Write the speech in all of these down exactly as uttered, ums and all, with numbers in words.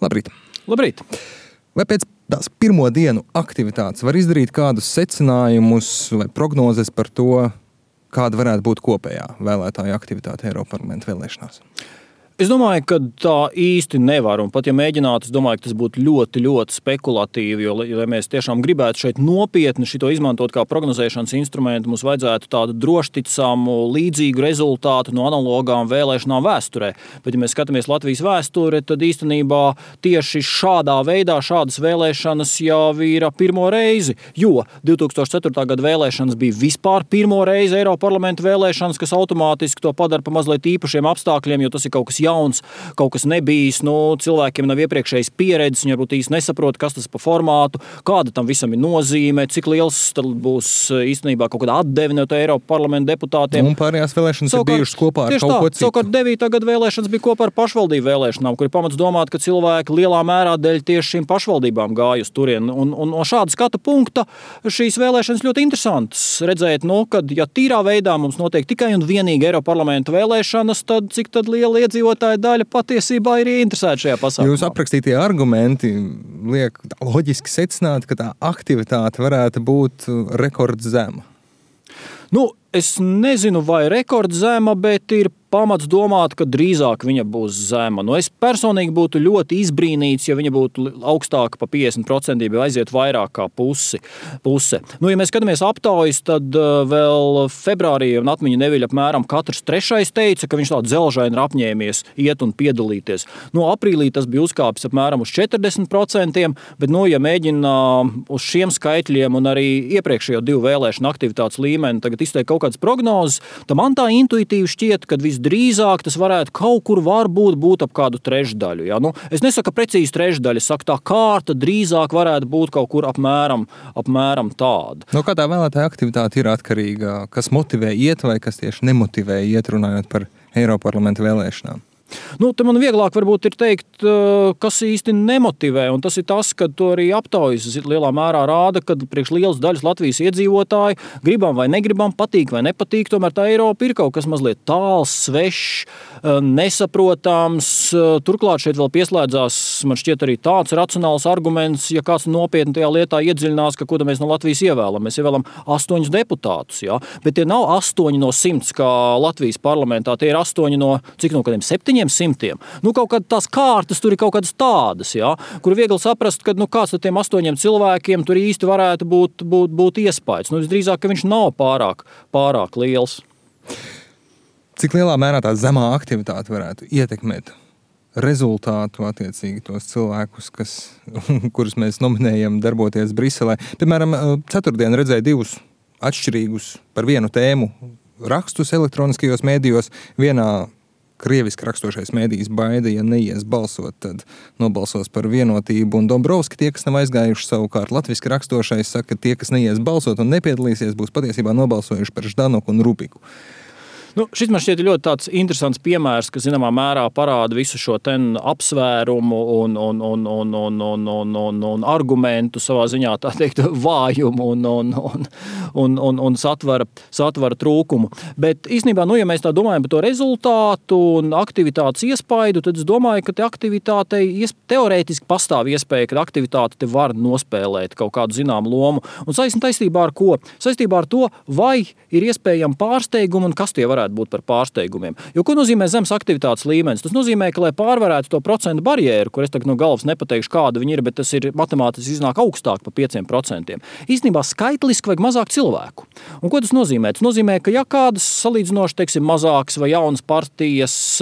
Labrīt. Labrīt. Vai pēc tās pirmo dienu aktivitātes var izdarīt kādus secinājumus vai prognozes par to, kāda varētu būt kopējā vēlētāju aktivitāte Eiroparlamenta vēlēšanās? Es domāju, ka tā īsti nevar, un pat ja mēģinātu, es domāju, ka tas būtu ļoti, ļoti spekulatīvi, jo, ja mēs tiešām gribētu šeit nopietni šito izmantot kā prognozēšanas instrumentu, mums vajadzētu tādu drošticamu, līdzīgu rezultātu no analogām vēlēšanām vēsturē. Bet, ja mēs skatāmies Latvijas vēsture, tad īstenībā tieši šādā veidā šādas vēlēšanas jau ir pirmo reizi, jo divi tūkstoši ceturtā gada vēlēšanas bija vispār pirmo reizi Eiroparlamenta vēlēšanas, kas automātiski to padara pa mazliet īpašiem apstākļiem, jo tas ir kaut kas jauns, kaut kas nebijis, nu, cilvēkiem nav iepriekšējas pieredzes, viņi varbūt īsti nesaprot, kas tas pa formātu, kāda tam visam ir nozīme, cik liels tad būs īstenībā kaut kāda atdeve no Eiropas parlamenta deputātiem. Un pārējās vēlēšanas savukārt, ir bijušas kopā ar kaut tā, ko citu. Savukārt devītā gada vēlēšanas bija kopā ar pašvaldību vēlēšanām, kur ir pamats domāt, ka cilvēki lielā mērā dēļ tieši šīm pašvaldībām gāja uz turien. Un, un no šāda skatu punkta šīs vēlēšanas ļoti interesantas redzēt, nu, kad, ja tīrā veidā mums notiek tikai un vienīgi Eiropas parlamenta vēlēšanas, tad cik tad liela iedzīvotāja daļa patiesībā ir interesēta šajā pasākumā. Jūs aprakstītie argumenti liek loģiski secināt, ka tā aktivitāte varētu būt rekordzema. Nu, es nezinu, vai rekordzema, bet ir pamats domāt, ka drīzāk viņa būs zema. Nu, es personīgi būtu ļoti izbrīnīts, ja viņa būtu augstāka pa piecdesmit procentiem, ja aiziet vairāk kā pusi, puse. Nu, ja mēs skatāmies aptaujas, tad uh, vēl februārī un atmiņa neviļ apmēram katrs trešais teica, ka viņš tā dzelžaini ir apņēmies iet un piedalīties. Nu, aprīlī tas bija uzkāpis apmēram uz četrdesmit procentiem, bet, nu, ja mēģina uh, uz šiem skaitļiem un arī iepriekšējo divu vēlēšanu aktivitātes līmeni tagad izteikt kaut kādas prognozes, tad man tā intuitīvi šķiet, ka visdrīzāk tas varētu kaut kur varbūt būt ap kādu trešdaļu. Ja? Nu, es nesaku precīzi trešdaļu, es saku tā kārta drīzāk varētu būt kaut kur apmēram, apmēram tāda. No kā tā vēlētāja aktivitāte ir atkarīga? Kas motivē iet vai kas tieši nemotivē iet, runājot par Eiroparlamenta vēlēšanām? Nu, te man vieglāk varbūt ir teikt, kas īsti nemotivē, un tas ir tas, ka to arī aptaujas lielā mērā rāda, ka priekš lielas daļas Latvijas iedzīvotāji gribam vai negribam, patīk vai nepatīk, tomēr tā Eiropa ir kaut kas mazliet tāls, svešs, nesaprotams. Turklāt šeit vēl pieslēdzās, man šķiet, arī tāds racionāls arguments, ja kāds nopietni tajā lietā iedziļinās, ka ko mēs no Latvijas ievēlam. Mēs ievēlam astoņus deputātus, ja? Bet tie nav astoņi no simts, kā Latvijas parlamentā, tie ir astoņi no, cik no kādiem septiņiem simtiem. Nu, kaut kādas tās kārtas tur ir kaut kādas tādas, ja, kur viegli saprast, ka nu, kāds ar tiem astoņiem cilvēkiem tur īsti varētu būt, būt, būt iespējas. Nu, visdrīzāk, ka viņš nav pārāk, pārāk liels. Cik lielā mērā tā zemā aktivitāte varētu ietekmēt rezultātu attiecīgi tos cilvēkus, kas, kurus mēs nominējam darboties Briselē? Piemēram, ceturtdien redzēju divus atšķirīgus par vienu tēmu rakstus elektroniskajos mēdījos. Vienā krieviski rakstošais mēdījis baida, ja neies balsot, tad nobalsos par vienotību. Un Dombrovski, tie, kas nav aizgājuši, savukārt latviski rakstošais saka, ka tie, kas neies balsot un nepiedalīsies, būs patiesībā nobalsojuši par Ždanoku un Rubiku. Nu, šis man šķiet ļoti tāds interesants piemērs, kas zināmā mērā parāda visu šo ten apsvērumu un, un, un, un, un, un, un, un, un argumentu savā ziņā, tā teikt, vājumu un, un, un, un, un, un satvara, satvara trūkumu. Bet īstenībā, nu, ja mēs tā domājam par to rezultātu un aktivitātes iespaidu, tad es domāju, ka te aktivitātei teorētiski pastāv iespēja, ka aktivitāte te var nospēlēt kaut kādu zināmu lomu. Un saistībā ar ko? Saistībā ar to, vai ir iespējami pārsteigumi un kas tie varētu būt par pārsteigumiem. Jo ko nozīmē zemes aktivitātes līmenis? Tas nozīmē, ka, lai pārvarētu to procentu barjeru, kur es tagad no galvas nepateikšu, kāda viņa ir, bet tas ir matemātiski iznāk augstāk pa pieciem procentiem. Īstenībā skaitliski vajag mazāk cilvēku. Un ko tas nozīmē? Tas nozīmē, ka ja kādas salīdzinoši, teiksim, mazākas vai jaunas partijas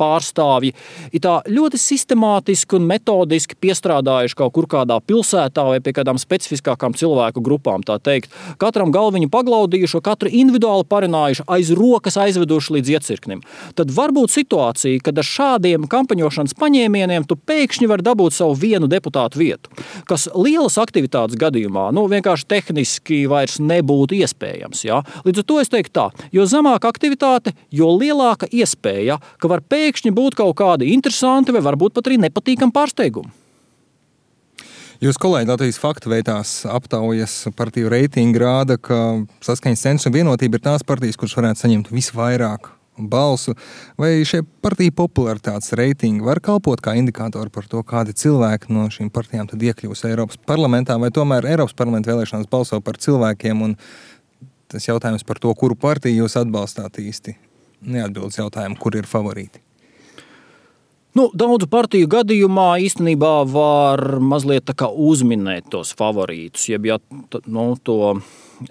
pārstāvji ir tā ļoti sistemātiski un metodiski piestrādājuši kaut kur kādā pilsētā vai pie kādām specifiskākām cilvēku grupām, tā teikt. Katram galviņu paglaudījuši, katru individuāli parunājuši, aiz rokas aizveduši līdz iecirknim. Tad var būt situācija, kad ar šādiem kampaņošanas paņēmieniem tu pēkšņi var dabūt savu vienu deputātu vietu, kas lielas aktivitātes gadījumā, nu, vienkārši tehniski vairs nebūtu iespējams. Ja? Līdz ar to es teiktu tā, jo zemāka aktivitāte, jo lielāka iespēja, ka var pēkšņi pēkšņi būt kaut kādi interesanti vai varbūt pat arī nepatīkami pārsteigumi. Jūs kolēģi Latvijas faktu veitās aptaujas partiju reitingi rāda, ka Saskaņas Centrs un Vienotība ir tās partijas, kuras varētu saņemt visvairāk balsu, vai šie partiju popularitātes reitingi var kalpot kā indikātori par to, kādi cilvēki no šīm partijām tad iekļūs Eiropas parlamentā, vai tomēr Eiropas parlamenta vēlēšanās balso par cilvēkiem, un tas jautājums par to, kuru partiju jūs atbalstāt īsti, neatbildes jautājumu, kur ir favorīti? Nu, daudzu partiju gadījumā īstenībā var mazliet tā kā uzminēt tos favorītus, jeb ja nu, to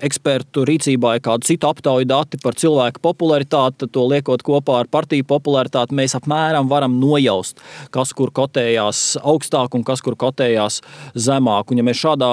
ekspertu rīcībā ir kādu citu aptauju dati par cilvēku popularitāti, to liekot kopā ar partiju popularitāti, mēs apmēram varam nojaust, kas kur kotējās augstāk un kas kur kotējās zemāk. Un ja mēs šādā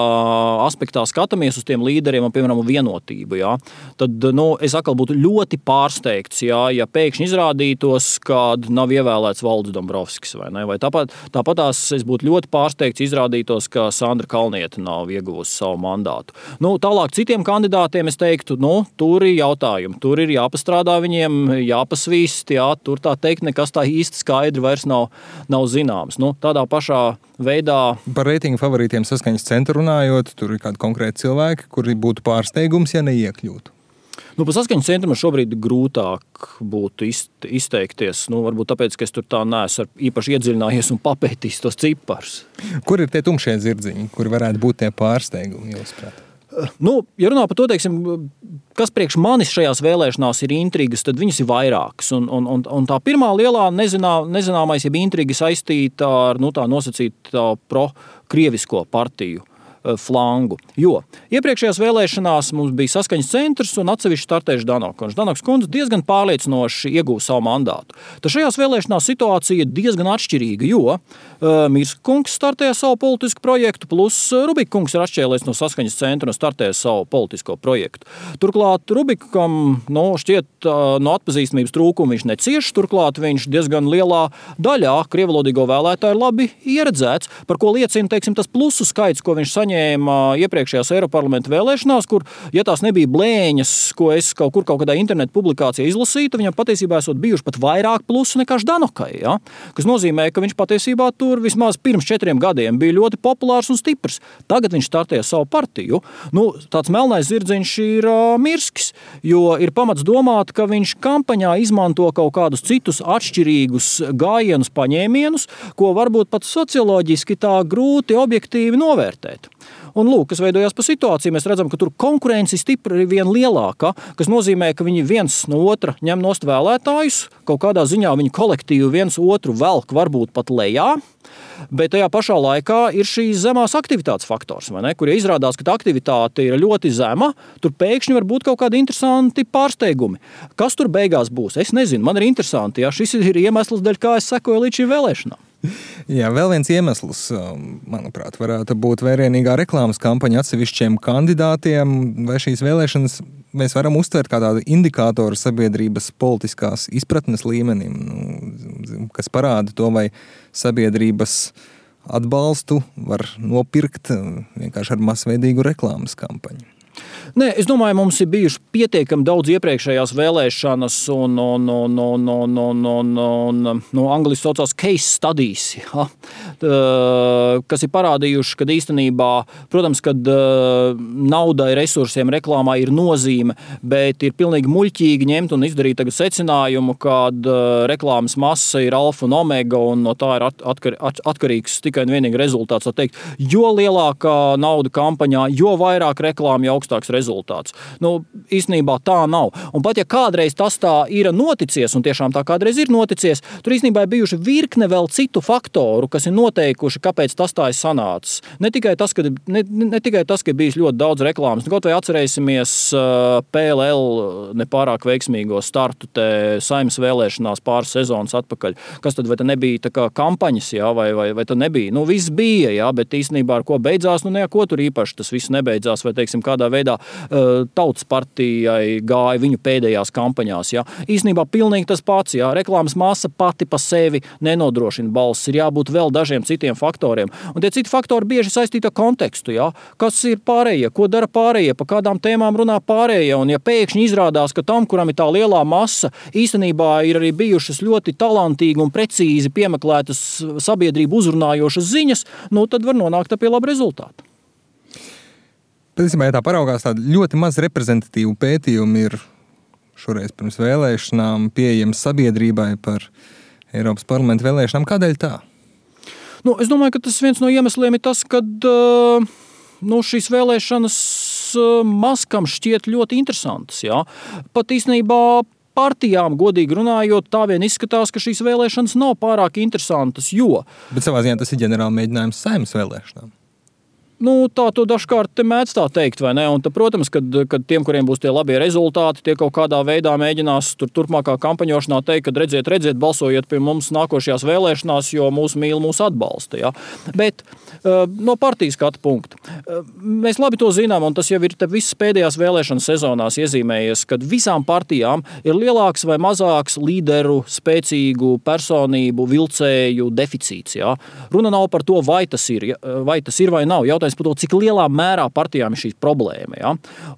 aspektā skatāmies uz tiem līderiem un, piemēram, vienotību, jā, tad nu, es atkal būtu ļoti pārsteigts, jā, ja pēkšņi izrādītos, kad nav ievēlēts Valdis Dombrovskis, vai ne? Vai tāpat, tāpatās es būtu ļoti pārsteigts izrādītos, ka Sandra Kalniete nav ieguvusi savu mandātu. Nu, tālāk citiem kandidātiem es teiktu, nu, tur ir jautājumi, tur ir jāpastrādā viņiem, jāpasvīst, jā, tur tā teikt nekas tā īsti skaidri vairs nav, nav zināms. Nu, tādā pašā veidā. Par reitingu favorītiem saskaņas centru runājot, tur ir kādi konkrēti cilvēki, kuri būtu pārsteigums, ja neiekļūtu. Nu, pa saskaņas centru man šobrīd grūtāk būtu izteikties. Nu, varbūt tāpēc, ka es tur tā neesmu īpaši iedziļinājies un papētījis tos ciparus. Kur ir tie tumšie zirdziņi, kuri varētu būt tie pārsteigumi, jūsuprāt? Nu, ja runā par to, teiksim, kas priekš manis šajās vēlēšanās ir intrigas, tad viņas ir vairākas. Un, un, un, un tā pirmā lielā nezinā, nezināmais, ja intriga saistīta ar nu, tā nosacīta pro-krievisko partiju flangu. Jo iepriekšējās vēlēšanās mums bija saskaņas centrs un atsevišķi startējuši Danoka. Danoks kundze diezgan pārliecinoši ieguva savu mandātu. Tad šajās vēlēšanās situācija ir diezgan atšķirīga, jo uh, Mirska kungs startēja savu politisku projektu, plus Rubika kungs ir atšķēlēs no saskaņas centra un startēja savu politisko projektu. Turklāt Rubikam nu, šķiet uh, no atpazīstamības trūkuma viņš necieš, turklāt viņš diezgan lielā daļā krievalodīgo vēlētāju labi ieredzēts, par ko liecina, teiksim, tas plusu skaits, ko viņš saņēma iepriekšējās Eiroparlamenta vēlēšanās, kur, ja tās nebija blēņas, ko es kaut kur kaut kādā internetu publikācijā izlasītu, viņam patiesībā esot bijuši pat vairāk plusu nekā Ždanokai, ja? Kas nozīmē, ka viņš patiesībā tur vismaz pirms četriem gadiem bija ļoti populārs un stiprs. Tagad viņš startēja savu partiju. Nu, tāds melnais zirdziņš ir uh, Mirskis, jo ir pamats domāt, ka viņš kampaņā izmanto kaut kādus citus atšķirīgus gājienus, paņēmienus, ko varbūt pat socioloģiski tā grūti objektīvi novērtēt. Un lūk, kas veidojās pa situāciju, mēs redzam, ka tur konkurence stipri ir vien lielāka, kas nozīmē, ka viņi viens no otra ņem nost vēlētājus, kaut kādā ziņā viņi kolektīvi viens otru velk varbūt pat lejā, bet tajā pašā laikā ir šīs zemās aktivitātes faktors, vai ne? Kur ja izrādās, ka tā aktivitāte ir ļoti zema, tur pēkšņi var būt kaut kādi interesanti pārsteigumi. Kas tur beigās būs? Es nezinu, man ir interesanti, ja šis ir iemesls, dēļ kā es sekoju līdz šīm vēlēšanām. Jā, vēl viens iemesls, manuprāt, varētu būt vērienīgā reklāmas kampaņa atsevišķiem kandidātiem, vai šīs vēlēšanas mēs varam uztvert kā tādu indikātoru sabiedrības politiskās izpratnes līmenim, nu, kas parāda to, vai sabiedrības atbalstu var nopirkt vienkārši ar masveidīgu reklāmas kampaņu. Nē, es domāju, mums ir bijuši pietiekami daudz iepriekšējās vēlēšanas un, un, un, un, un, un, un, un no angliski saucās case studies, ja? Kas ir parādījuši, ka īstenībā, protams, kad naudai, resursiem, reklāmā ir nozīme, bet ir pilnīgi muļķīgi ņemt un izdarīt tagad secinājumu, kad reklāmas masa ir alfa un omega un no tā ir atkar, atkarīgs tikai un vienīgi rezultāts. Teikt, jo lielākā nauda kampaņā, jo vairāk reklāma, jo augstāks rezultāts. Nu, īstenībā tā nav. Un pat ja kādreiz tas tā ir noticies, un tiešām tā kādreiz ir noticies, tur īstenībā ir bijuši virkne vēl citu faktoru, kas ir noteikuši, kāpēc tas tā ir sanācis. Ne tikai tas, ka, ne, ne tikai tas, ka ir bijis ļoti daudz reklāmas. Nu, kaut vai atcerēsimies uh, P L L nepārāk veiksmīgo startu te Saeimas vēlēšanās pāris sezonas atpakaļ. Kas tad, vai tā nebija tā kā kampaņas, jā, vai, vai, vai tā nebija? Nu, viss bija, jā, bet īstenībā ar ko beidzās, nu, neko tur īpaši tas viss nebeidzās, vai, teiksim, kādā veidā Tautas partijai gāja viņu pēdējās kampaņās. Ja. Īstenībā pilnīgi tas pats. Ja. Reklāmas masa pati pa sevi nenodrošina balss. Ir jābūt vēl dažiem citiem faktoriem. Un tie citi faktori bieži saistīti ar kontekstu. Ja. Kas ir pārējie? Ko dara pārējie? Pa kādām tēmām runā pārējie? Un ja pēkšņi izrādās, ka tam, kuram ir tā lielā masa, īstenībā ir arī bijušas ļoti talantīgi un precīzi piemeklētas sabiedrību uzrunājošas ziņas, nu tad var nonākt pie laba rezultāta. Patiesībā, ja tā paraugās, tāda ļoti maz reprezentatīva pētījuma ir šoreiz pirms vēlēšanām pieejams sabiedrībai par Eiropas parlamenta vēlēšanām. Kādēļ tā? Nu, es domāju, ka tas viens no iemesliem ir tas, ka nu, šīs vēlēšanas maskam šķiet ļoti interesantas. Jā. Pat īstenībā partijām, godīgi runājot, tā vien izskatās, ka šīs vēlēšanas nav pārāk interesantas, jo... Bet savā ziņā tas ir ģenerāli mēģinājums Saeimas vēlēšanām. Nu, tā to dažkārt mēdz tā teikt, vai ne? Un, tā, protams, kad, kad tiem, kuriem būs tie labie rezultāti, tie kaut kādā veidā mēģinās tur turpmākā kampaņošanā teikt, ka redziet, redziet, balsojiet pie mums nākošajās vēlēšanās, jo mūs mīl, mūs atbalsta. Ja? Bet uh, no partijas skatu punkta. Uh, mēs labi to zinām, un tas jau ir visas pēdējās vēlēšanas sezonās iezīmējies, kad visām partijām ir lielāks vai mazāks līderu, spēcīgu personību, vilcēju deficīts. Ja? Runa nav par to, vai tas ir, vai tas ir vai nav. Jautājums par to, cik lielā mērā partijām ir šī problēma. Ja?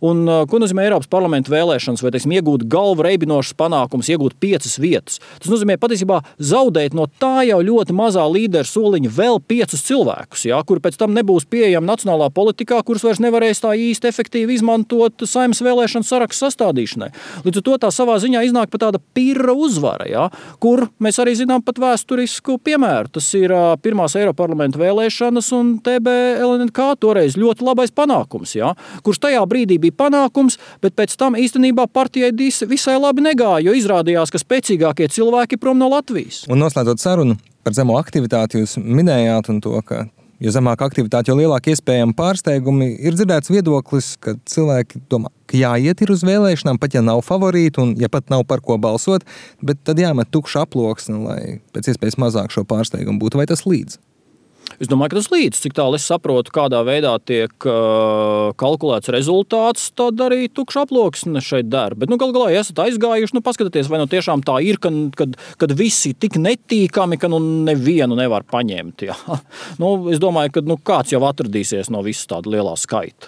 Un, ko nozīmē Eiropas parlamenta vēlēšanas, vai teiksim, iegūt galvu reibinošas panākumus, iegūt piecas vietas. Tas nozīmē patiesībā zaudēt no tā jau ļoti mazā līderu soliņa vēl piecus cilvēkus, ja? Kuri pēc tam nebūs pieejami nacionālā politikā, kurus vairs nevarēs tā īsti efektīvi izmantot Saeimas vēlēšanu sarakstu sastādīšanai. Līdz ar to tā savā ziņā iznāk pat tāda pirra uzvara, ja? Kur mēs arī zinām pat vēsturisku piemēru. Tas ir pirmās Eiropas parlamenta vēlēšanas un T B L N K toreiz ļoti labais panākums, ja? Kurš tajā brīdī bija panākums, bet pēc tam īstenībā partijai visai labi negāja, jo izrādījās, ka spēcīgākie cilvēki prom no Latvijas. Un noslēdzot sarunu par zemo aktivitāti, jūs minējāt un to, ka jo zemāka aktivitāte, jo lielāka iespējama pārsteigumi, ir dzirdēts viedoklis, ka cilvēki domā, ka jāiet ir uz vēlēšanām, pat ja nav favorīti un ja pat nav par ko balsot, bet tad jāmet tukša aploksne, lai pēc iespējas mazāk šo pārsteigumu būtu. Vai tas līdz? Es domāju, ka tas līdz, cik tālu es saprotu, kādā veidā tiek uh, kalkulēts rezultāts, tad arī tukša aploksne šeit der. Bet, nu, gal galā, ja esat aizgājuši, nu, paskatieties, vai nu tiešām tā ir, kad, kad, kad visi tik netīkami, ka nu nevienu nevar paņemt. Ja? Nu, es domāju, ka nu, kāds jau atradīsies no visas tāda lielā skaita.